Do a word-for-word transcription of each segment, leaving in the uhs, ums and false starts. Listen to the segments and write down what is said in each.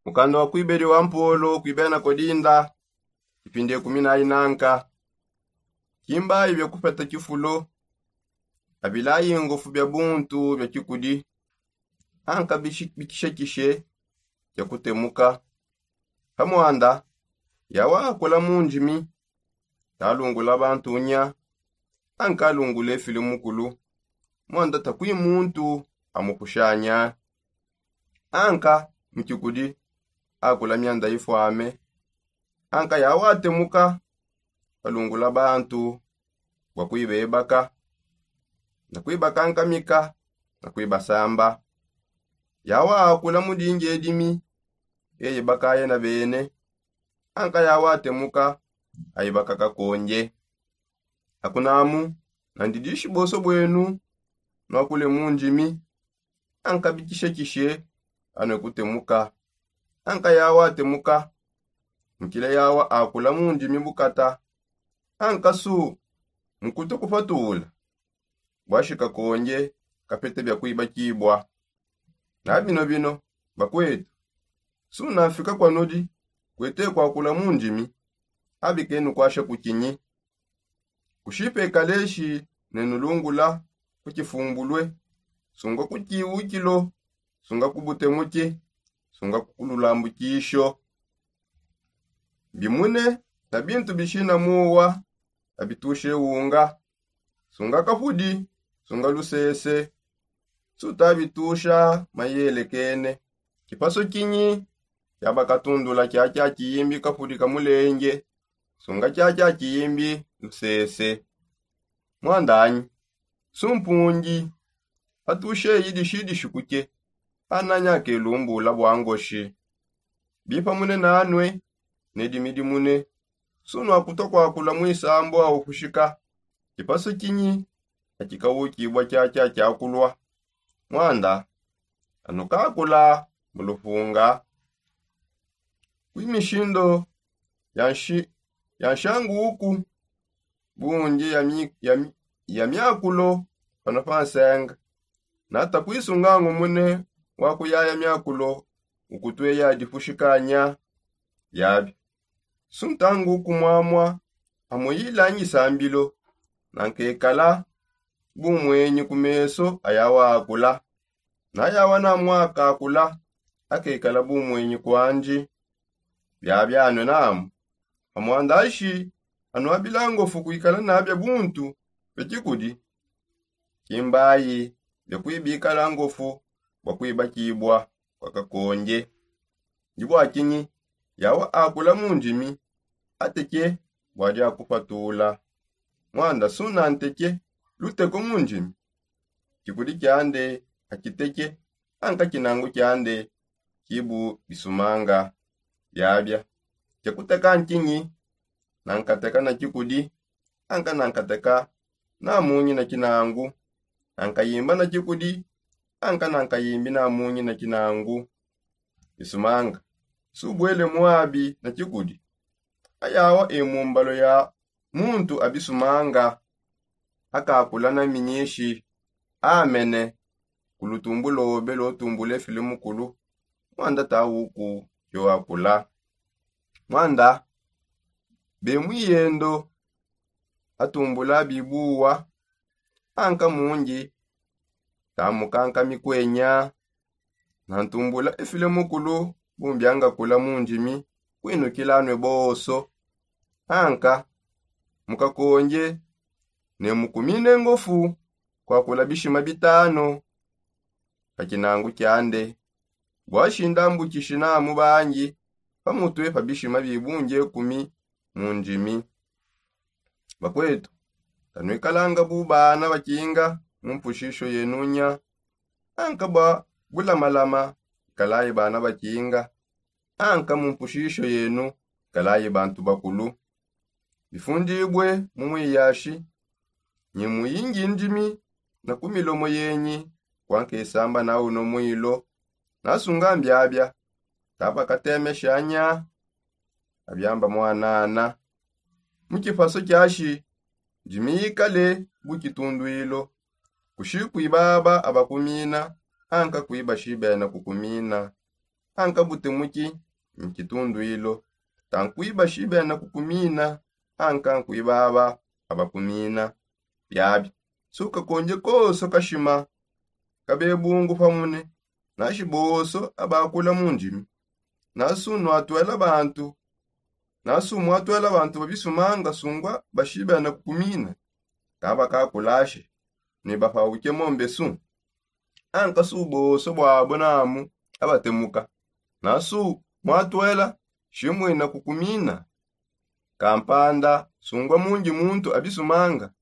Mukanda wa kuibedi wa mpolo kuibena kodinda. Ipindi ekumi na inanka. Kimbayi bia kupeta kifulo. Abilayi ngofu bia buntu bia kikudi. Anka bikishekishe bia kutemuka. Pamwanda yawa akula mu ndimi. Talungula bantu nya. Anka alungula efili mukulu. Mwanda takui muntu amukushanya. Anka mukikudi akula mianda ifwame. Anka yawa atemuka. Alungula bantu bua kuibebaka na kuibakankamika na kuibasamba. Yawa akula mu dingi edimi. Eye bakayena bene. Anka yawa atemuka. Aibaka kakonje. Akunamu nandi dishi boso bwenu. Nuakule mu ndimi. Anka bikishekishe anue kutemuka. Anka yawa atemuka. Mukile yawa akula mu ndimi bukata. Anka su mukute kupatula. Bwashi kakonje kapete bia kuibakibua. Na bino bino bakwetu. Su nanfika kua nudi kuete kuakula mu ndimi. Abikenu kuasha kukinyi? Kushipe kaleshi ne nulungula ku kifumbulue. Sunga ku kiwukilo. Sunga ku butemuke. Sunga ku lulambukisho. Bimune na bintu bishina muwa. Abitushe wunga. Sunga kapudi. Sunga lusese. Suta bitusha mayelekene. Kipaso kinyi? Kiaba katundula kiakia kiyimbi kapudi ka mulenge. Sunga kiakia kiyimbi lusese. Mwandanyi sumpungi. Atushe idishidishi kuke. Ananya kelumbula bua ngoshi. Bipa mune nanue. Nedimidi mune. Sunu akuta kuakula muisambu au kushika. Kipasu kinyi akikawukibua kiakia kiakulua? Mwanda anukakula mu lupunga. Kwi mishindo ya nshanguku bungi ya miakulo pano pa nsenga. Nata kwisungangu mune wa kuyaya miakulo ukutue ya dipushikanya. Yabi suntangu kumwamwa amuyila ngisambilo. Nankekala bumwenyi ku meso aya waakula. Nayawa namwakakula akekala bumwenyi kwandi. Biabianue namu amwandashi anuabila ngofu kuikala nabia buntu bia kikudi. Kimbayi bia kuibikala ngofu bua kuibakibua kua kakonge. Ndi bua kinyi yawa akula mu ndimi ateke bua dia kupatula? Mwanda suna nteke luteko mu ndimi. Kikudi kiande akiteke anka kinangu kiande kibu bisumanga. Biabia kia kuteka nkinyi? Nankateka na kikudi anka nankateka na munyi na kinangu. Nankayimba na kikudi anka nankayimbi na munyi na kinangu. Bisumanga subuele muabi na kikudi. Ayawa e mumbalo ya muntu abisumanga akakula na minyishi amene. Ku lutumbu lobe lotumbula efile mukulu mwanda tawuku yoakula. Mwanda be muyendo atumbula bibuwa anka mundi tamukanka mikwenya. Nantumbula efile mukulu bumbiangakula mu ndimi kwinukila anue bonso. Anka mukakonge ne mukumine ngofu kwakula bishima bitanu pa kinangu kiande. Bua shinda mbukishi namu bangi pamutue pa bishima bibunge kumi mu ndimi. Bakwetu, tanuikalanga bu bana bakinga mu mpushisho yenu nya. Anka bua bulamalama ikalayi bana bakinga. Anka mu mpushisho yenu ikalayi bantu bakulu. Bifundibue mu muiyashi nyi muyingi ndimi na ku milomo yenyi. Kuankesamba na uno muilo nasunga mbiabia. Tabakatemesha nya abiamba mwanana. Mu kipaso kiashi ndimi ikale bu kitunduilo. Kushi kuibaba abakumina anka kuibashi bena kukumina. anka butemuki nkitunduilo. Tankuiba shibena kukumina anka nkuiba aba abakumina. Biabi sukakonje koso kashima kabebungu pamune. Nashi boso abakula mu ndimi nasu nwatwela bantu nasu mwatwela bantu babisumanga sungwa bashibena kukumina. Kabakakulashi ni bapauke mombesu anka su boso bwabo namu abatemuka. Nasu mwatwela shimwina kukumina kampanda sungwa mungi muntu abisumanga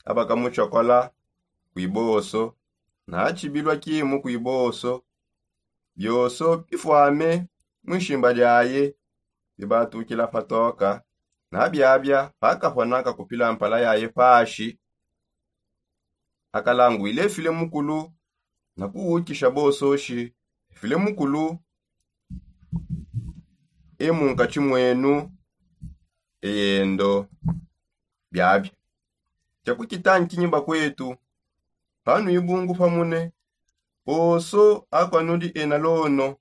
abakamucokola kwiboso. Nachibilwa kimu kwiboso bioso bifwame mwishimba diaye bibatukila patoka. Nabiabia pakapona kakupila mpala yaye pashi akalangwile file mukulu na kuwukisha bososhi file mukulu e munkatshi mwenu eyendo. Biabia chakukitankinyi bakwetu panu ibungu pamune poso akwanudi ena lono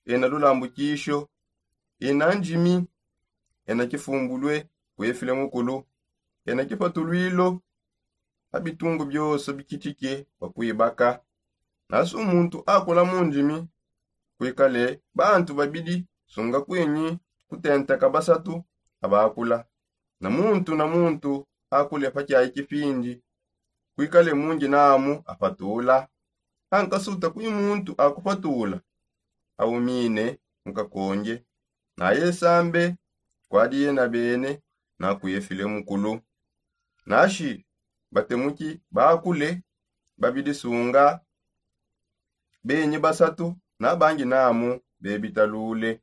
ena lulambukisho ena ndimi ena kifumbulue kwefile mukulu ena kipatulwilo abitungu bioso bikitike bakwibaka. Nasu muntu akula mu ndimi kwikale bantu babidi sunga kwinyi kutenteka basatu abakula na muntu na muntu akule pakiayi kipindi kwikale mungi namu apatula. Ankasuta kwi muntu akupatula aumine mukakonge naye sambe kwadi yena bene nakwefile mukulu. Nashi batemuki bakule babidi sunga benyi basatu nabangi namu bebitalule.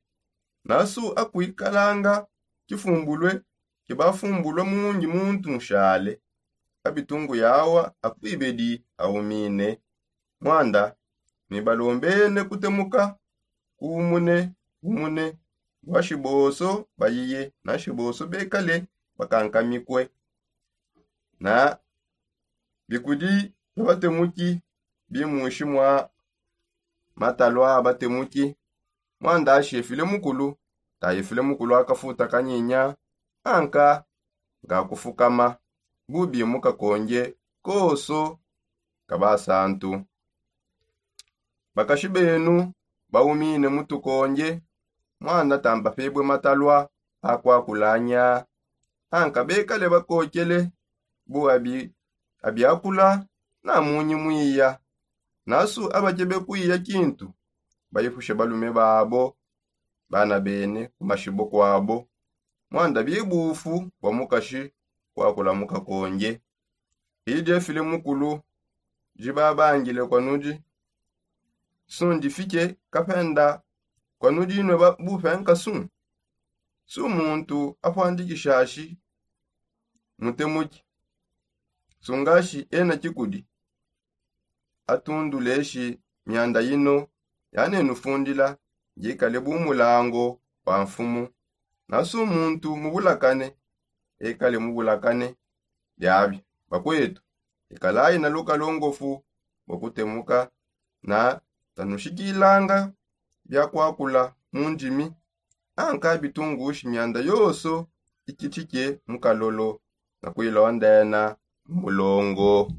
Nasu akwikalanga kifumbulue kibafumbulua mungi muntu nshale abitungu yawa akwibedi aumine. Mwanda ni balombene kutemuka kuumune umune bua shiboso bayiye na shiboso bekale bakankamikue. Na bikudi bia batemuki bimushi mua matalua a batemuki. Muanda ashefile mukulu tayefile mukulu akafuta kanyinya anka ngakufukama bubi mukakonge koso ka basantu. Bakashi benu baumine mutukonge muanda tambapebue matalua akuakulanya anka bekale bakokele bu abiakula na munyi muiya. Nasu abakebe kuiya kintu baipushe balume babo bana bene ku mashibo kuabo. Muanda bibufu bua mukashi kuakula mukakonge idi efile mukulu dibabangile kua nudi. Sundi fike kapenda kua nudi inue bupenka su su muntu apuandikishashi mutemuki sungashi ena kikudi atunduleshi mianda ino yanenufundila ngikale bu mulango wa mfumu. Nasu muntu mubulakane ekale mubulakane. Biabi bakwetu ikalayi na lukalongofu bua kutemuka na tanushikilanga bia kuakula mu ndimi anka bitungushi mianda yonso ikitshike mu kalolo na kuilondena mu mulongo.